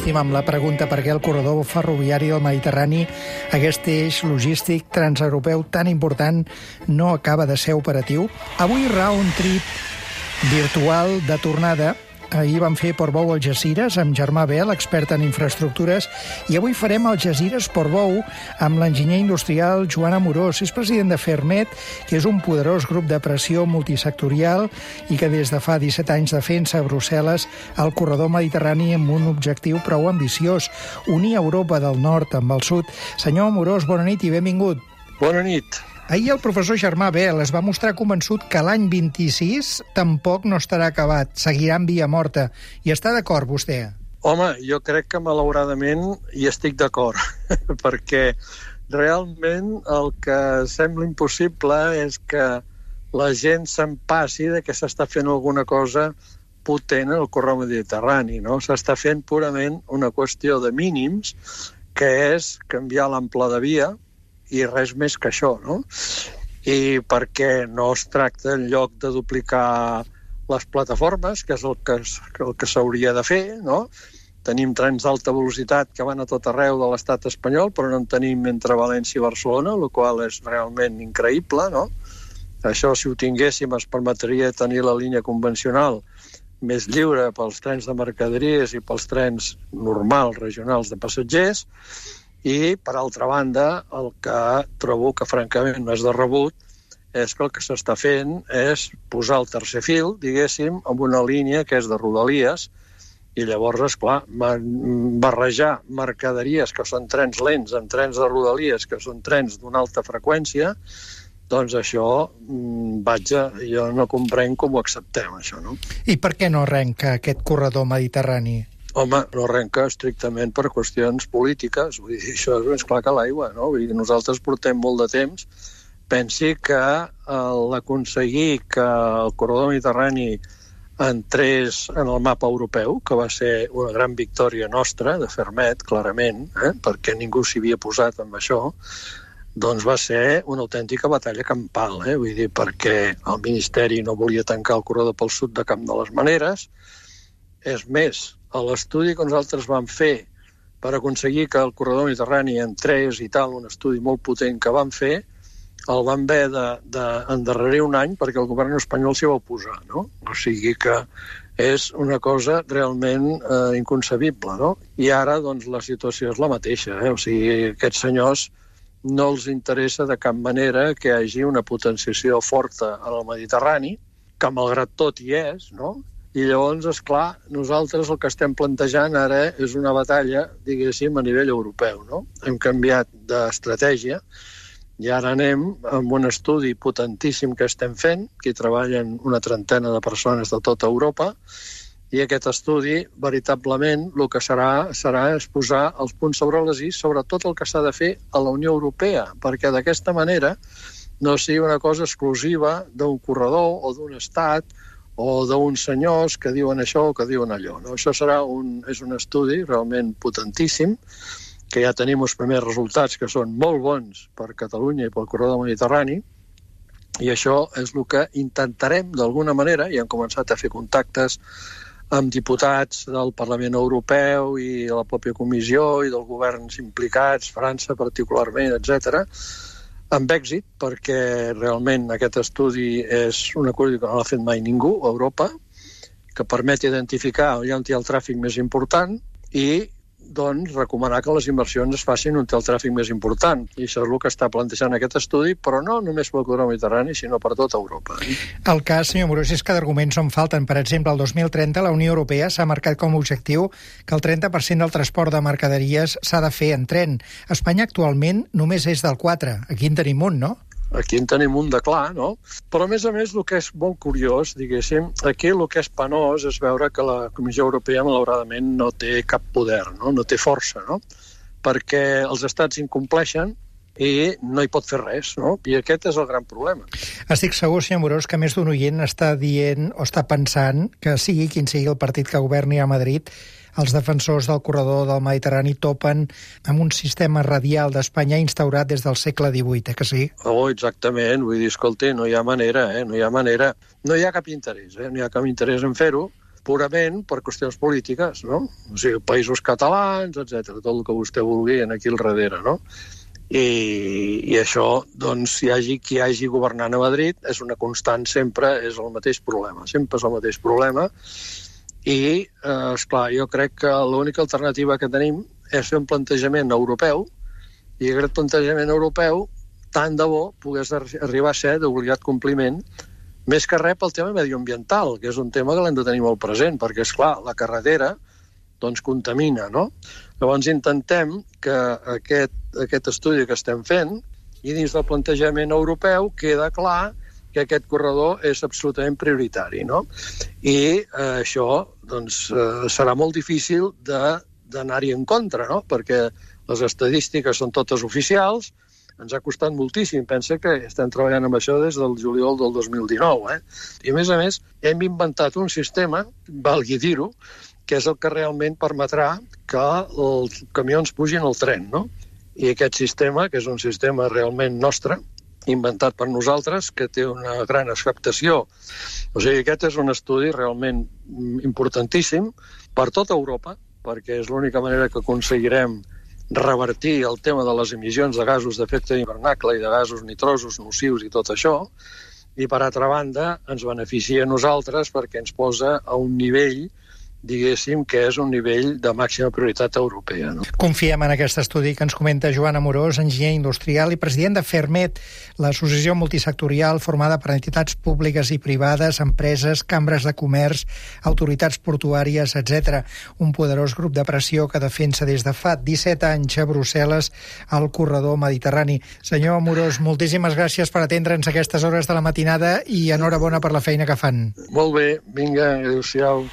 insistim amb la pregunta per què el corredor ferroviari del Mediterrani, aquest eix logístic transeuropeu tan important, no acaba de ser operatiu. Avui round trip virtual de tornada. Ahir vam fer Portbou Algesires amb Germà Bel, expert en infraestructures, i avui farem Algesires Portbou amb l'enginyer industrial Joan Amorós. És president de Ferrmed, que és un poderós grup de pressió multisectorial i que des de fa 17 anys defensa a Brussel·les el corredor mediterrani amb un objectiu prou ambiciós, unir Europa del nord amb el sud. Senyor Amorós, bona nit i benvingut. Bona nit. Ahir el professor Germà Bel es va mostrar convençut que l'any 26 tampoc no estarà acabat, seguirà en via morta. I està d'acord, vostè? Home, jo crec que malauradament hi estic d'acord, perquè realment el que sembla impossible és que la gent se'n passi de que s'està fent alguna cosa potent en el corredor mediterrani, no? S'està fent purament una qüestió de mínims, que és canviar l'ample de via, i res més que això, no? I perquè no es tracta en lloc de duplicar les plataformes, que és el que s'hauria de fer, no? Tenim trens d'alta velocitat que van a tot arreu de l'estat espanyol, però no en tenim entre València i Barcelona, el qual és realment increïble, no? Això, si ho tinguéssim, es permetria tenir la línia convencional més lliure pels trens de mercaderies i pels trens normals, regionals de passatgers. I, per altra banda, el que trobo que francament no és de rebut és que el que s'està fent és posar el tercer fil, diguéssim, amb una línia que és de rodalies, i llavors, esclar, barrejar mercaderies que són trens lents amb trens de rodalies que són trens d'una alta freqüència, doncs això, jo no comprenc com ho acceptem, això, no? I per què no arrenca aquest corredor mediterrani? Home, no arrenca estrictament per qüestions polítiques, vull dir, això és més clar que l'aigua, no? Vull dir, nosaltres portem molt de temps. Pensi que l'aconseguir que el corredor mediterrani entrés en el mapa europeu, que va ser una gran victòria nostra, de Ferrmed, clarament, perquè ningú s'hi havia posat amb això, doncs va ser una autèntica batalla campal, vull dir, perquè el Ministeri no volia tancar el corredor pel sud de cap de les maneres. És més, a l'estudi que nosaltres vam fer per aconseguir que el corredor mediterrani entrés i tal, un estudi molt potent que vam fer, el vam haver d'endarrerir un any perquè el govern espanyol s'hi va oposar, no? O sigui que és una cosa realment inconcebible, no? I ara, doncs, la situació és la mateixa, O sigui, aquests senyors no els interessa de cap manera que hi hagi una potenciació forta en el Mediterrani, que malgrat tot hi és, no? I llavors, esclar, nosaltres el que estem plantejant ara és una batalla, diguéssim, a nivell europeu, no? Hem canviat d'estratègia i ara anem amb un estudi potentíssim que estem fent, que hi treballen una trentena de persones de tota Europa, i aquest estudi, veritablement, el que serà és posar els punts sobre les is sobre tot el que s'ha de fer a la Unió Europea, perquè d'aquesta manera no sigui una cosa exclusiva d'un corredor o d'un estat o d'uns senyors que diuen això o que diuen allò, no? Això és un estudi realment potentíssim, que ja tenim els primers resultats que són molt bons per Catalunya i pel corredor mediterrani, i això és el que intentarem d'alguna manera, i hem començat a fer contactes amb diputats del Parlament Europeu i de la pròpia Comissió i dels governs implicats, França particularment, etc., amb èxit, perquè realment aquest estudi és una cosa que no l'ha fet mai ningú a Europa, que permet identificar on hi ha el tràfic més important i, doncs, recomanar que les inversions es facin on té el tràfic més important. I això és el que està plantejant aquest estudi, però no només pel corredor mediterrani, sinó per tota Europa. El cas, senyor Amorós, és que d'arguments en falten. Per exemple, el 2030 la Unió Europea s'ha marcat com a objectiu que el 30% del transport de mercaderies s'ha de fer en tren. Espanya actualment només és del 4%. Aquí en tenim un, no? Aquí en tenim un de clar, no? Però, a més, el que és molt curiós, diguéssim, aquí el que és penós és veure que la Comissió Europea, malauradament, no té cap poder, no té força, no? Perquè els estats incompleixen i no hi pot fer res, no? I aquest és el gran problema. Estic segur, senyor Amorós, que més d'un oient està dient o està pensant que sigui quin sigui el partit que governi a Madrid, els defensors del corredor del Mediterrani topen amb un sistema radial d'Espanya instaurat des del segle XVIII, que sí? Oh, exactament. Vull dir, escolti, no hi ha manera, no hi ha manera. No hi ha cap interès, no hi ha cap interès en fer-ho, purament per qüestions polítiques, no? O sigui, països catalans, etc, tot el que vostè vulgui aquí al darrere, no? I això, doncs, hi hagi qui hagi governant a Madrid, és una constant sempre, és el mateix problema, sempre és el mateix problema. I, esclar, jo crec que l'única alternativa que tenim és fer un plantejament europeu, i aquest plantejament europeu, tant de bo, pogués arribar a ser d'obligat compliment, més que res pel tema medioambiental, que és un tema que l'hem de tenir molt present, perquè, esclar, la carretera doncs contamina, no? Llavors intentem que aquest estudi que estem fent, i dins del plantejament europeu, queda clar que aquest corredor és absolutament prioritari, no? I això doncs, serà molt difícil d'anar-hi en contra, no? Perquè les estadístiques són totes oficials, ens ha costat moltíssim. Pensa que estem treballant amb això des del juliol del 2019. I, a més, hem inventat un sistema, valgui dir-ho, que és el que realment permetrà que els camions pugin al tren, no? I aquest sistema, que és un sistema realment nostre, inventat per nosaltres, que té una gran acceptació. O sigui, aquest és un estudi realment importantíssim per tota Europa, perquè és l'única manera que aconseguirem revertir el tema de les emissions de gasos d'efecte hivernacle i de gasos nitrosos nocius i tot això, i per altra banda ens beneficia a nosaltres perquè ens posa a un nivell, diguéssim, que és un nivell de màxima prioritat europea, no? Confiem en aquest estudi que ens comenta Joan Amorós, enginyer industrial i president de Fermet, l'associació multisectorial formada per entitats públiques i privades, empreses, cambres de comerç, autoritats portuàries, etc. Un poderós grup de pressió que defensa des de fa 17 anys a Brussel·les el corredor mediterrani. Senyor Amorós, moltíssimes gràcies per atendre'ns a aquestes hores de la matinada i enhorabona per la feina que fan. Molt bé, vinga, adéu-siau.